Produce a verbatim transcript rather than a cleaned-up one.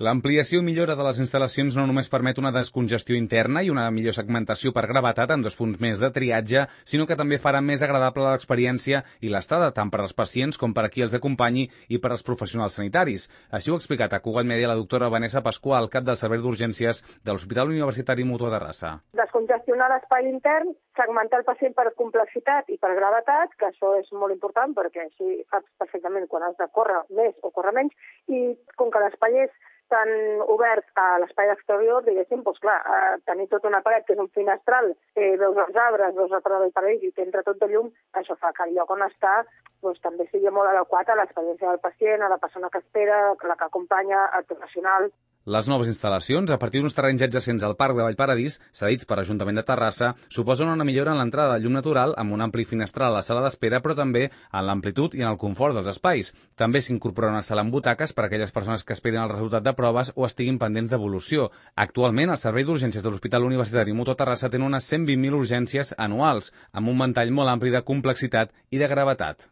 L'ampliació i millora de les instal·lacions no només permet una descongestió interna i una millor segmentació per gravetat amb dos punts més de triatge, sinó que també farà més agradable l'experiència i l'estada tant per als pacients com per a qui els acompanyi i per als professionals sanitaris. Així ho ha explicat a Cugat Mèdia la doctora Vanessa Pasqual, cap del Servei d'Urgències de l'Hospital Universitari Mutua de Terrassa. Descongestionar l'espai intern, segmentar el pacient per complexitat i per gravetat, que això és molt important perquè així saps perfectament quan has de córrer més o córrer menys, i com que l'espai és tan obert a l'espai exterior, diguéssim, doncs clar, eh, tenir tota una paret que és un finestral, eh, veus els arbres, veus el parador del paradís i t'entra tot de llum, això fa que el lloc on està doncs, també sigui molt adequat a l'experiència del pacient, a la persona que espera, la que acompanya, al professional. Les noves instal·lacions, a partir d'uns terrenys adjacents al Parc de Vallparadís, cedits per l'Ajuntament de Terrassa, suposen una millora en l'entrada de llum natural amb un ampli finestral a la sala d'espera, però també en l'amplitud i en el confort dels espais. També s'incorpora una sala amb butaques per a aquelles persones que esperen el resultat de proves o estiguin pendents d'evolució. Actualment, el Servei d'Urgències de l'Hospital Universitari Mutua Terrassa té unes cent vint mil urgències anuals, amb un ventall molt ampli de complexitat i de gravetat.